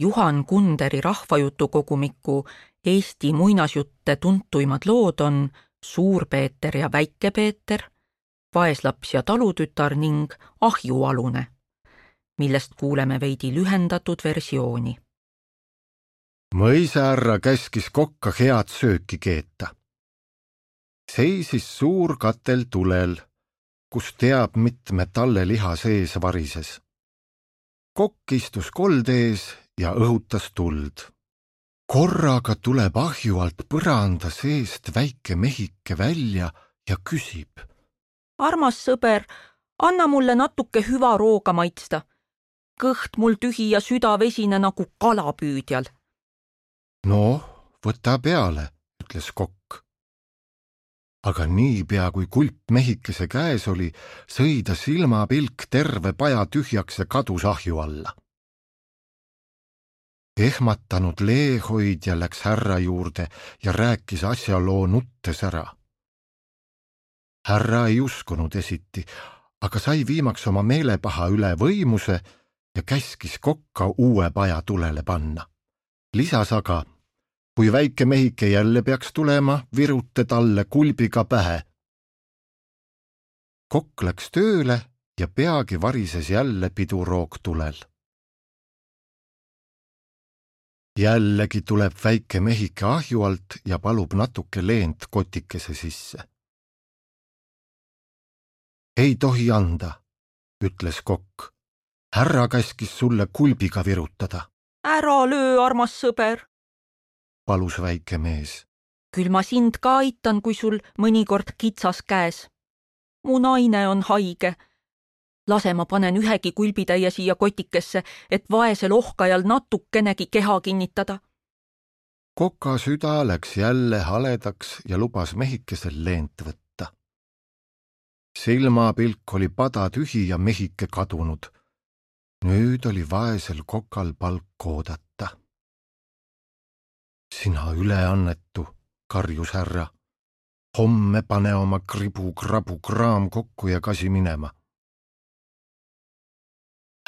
Juhan Kunderi rahvajutukogumiku Eesti muinasjutte tuntuimad lood on Suur Peeter ja Väike Peeter, Vaeslaps ja talutütar ning Ahjualune, millest kuuleme veidi lühendatud versiooni. Mõisaärra käskis kokka head sööki keeta. Seisis suur katel tulel, kus teab mitme talle liha sees varises. Kokk istus kolde ees ja õhutas tuld. Korraga tuleb ahju alt põranda seest väike mehike välja ja küsib. Armas sõber, anna mulle natuke hüva rooga maitsta. Kõht mul tühi ja süda vesine nagu kalapüüdjal. No, võta peale, ütles kokk. Aga niipea kui kulp mehikese käes oli, sõi ta silmapilk terve paja tühjaks ja kadus ahju alla. Ehmatanud leehoidja läks härra juurde ja rääkis asjaloo nuttes ära. Härra ei uskunud esiti, aga sai viimaks oma meelepaha üle võimuse ja käskis kokka uue paja tulele panna. Lisas aga, kui väike mehike jälle peaks tulema, virute talle kulbiga pähe. Kokk läks tööle ja peagi varises jälle piduroog tulel. Jällegi tuleb väike mehike ahju alt ja palub natuke leent kotikese sisse. Ei tohi anda, ütles kokk. Härra käskis sulle kulbiga virutada. Ära löö, armas sõber, palus väike mees. Küll ma sind ka aitan, kui sul mõnikord kitsas käes. Mu naine on haige. Lase ma panen ühegi kulbitäie siia kotikesse, et vaesel ohkajal natukenegi keha kinnitada. Koka süda läks jälle haledaks ja lubas mehikesel leent võtta. Silmapilk oli pada tühi ja mehike kadunud. Nüüd oli vaesel kokal palk oodata. Sina üleannetu, karjus härra. Homme pane oma kribu-krabu kraam kokku ja kasi minema.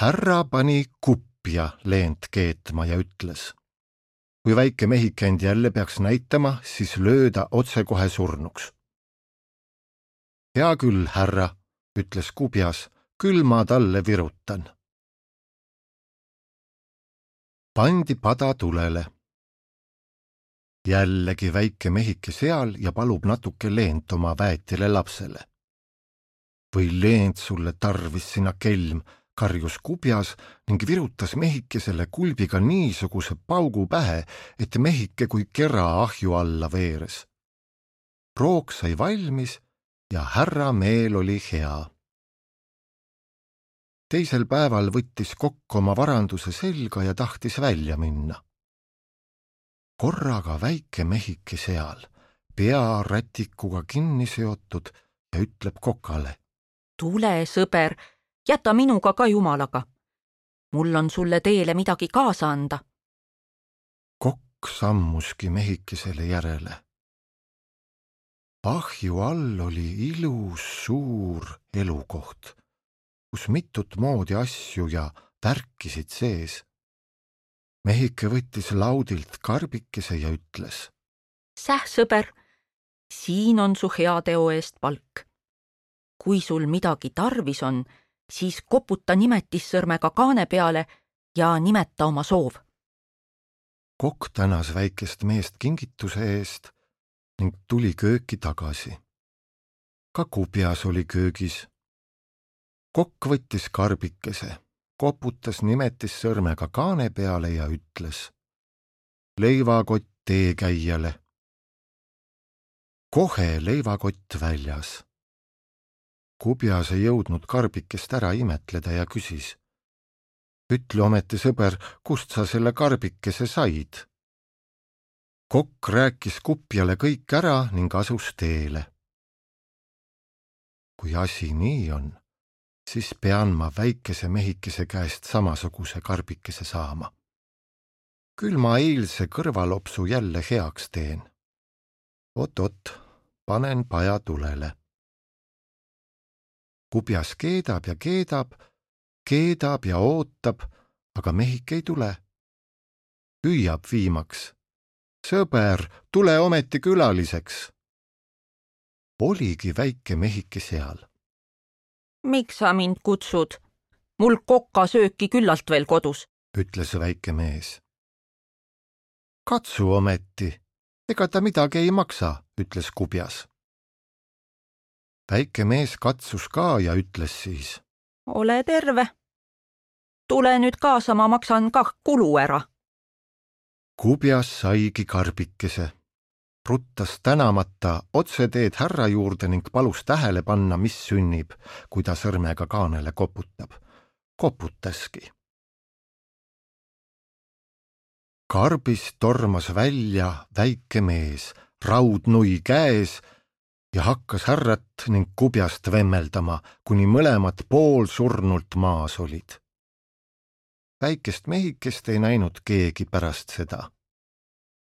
Härra pani kupja leent keetma ja ütles. Kui väike mehike end jälle peaks näitama, siis lööda otsekohe surnuks. Hea küll, härra, ütles kubjas, küll ma talle virutan. Pandi pada tulele. Jällegi väike mehike seal ja palub natuke leent oma väetile lapsele. Või leent sulle tarvis sina kelm, karjus kubjas ning virutas mehikesele kulbiga niisuguse paugu pähe, et mehike kui kera ahju alla veeres. Roog sai valmis ja härra meel oli hea. Teisel päeval võttis kokk oma varanduse selga ja tahtis välja minna. Korraga väike mehike seal, pea rätikuga kinni seotud ja ütleb kokale. Tule, sõber, jäta minuga ka jumalaga. Mul on sulle teele midagi kaasa anda. Kokk sammuski mehikesele järele. Ahju all oli ilus suur elukoht, kus mitut moodi asju ja värkisid sees. Mehike võttis laudilt karbikese ja ütles. Säh, sõber, siin on su heateo eest palk. Kui sul midagi tarvis on, siis koputa nimetissõrmega kaane peale ja nimeta oma soov. Kokk tänas väikest meest kingituse eest ning tuli kööki tagasi. Ka kubjas oli köögis. Kokk võttis karbikese, koputas nimetissõrmega kaane peale ja ütles. Leivakott teekäijale. Kohe leivakott väljas. Kubjas ei jõudnud karbikest ära imetleda ja küsis. Ütle ometi, sõber, kust sa selle karbikese said? Kokk rääkis kupjale kõik ära ning asus teele. Kui asi nii on, siis pean ma väikese mehikese käest samasuguse karbikese saama. Küll ma eilse kõrvalopsu jälle heaks teen. Oot, panen paja tulele. Kubjas keedab ja ootab, aga mehik ei tule. hüüab viimaks. Sõber, tule ometi külaliseks. Oligi väike mehike seal. Miks sa mind kutsud? Mul kokasööki küllalt veel kodus, ütles väike mees. Katsu ometi, ega ta midagi ei maksa, ütles kubjas. Väike mees katsus ka ja ütles siis. Ole terve. Tule nüüd kaasa, ma maksan kah kulu ära. Kubjas saigi karbikese. Ruttas tänamata otse teed härra juurde ning palus tähele panna, mis sünnib, kui ta sõrmega kaanele koputab. Koputaski. Karbist tormas välja väike mees, raudnui käes ja hakkas härrat ning kubjast vemmeldama, kuni mõlemad poolsurnult maas olid. Väikest mehikest ei näinud keegi pärast seda.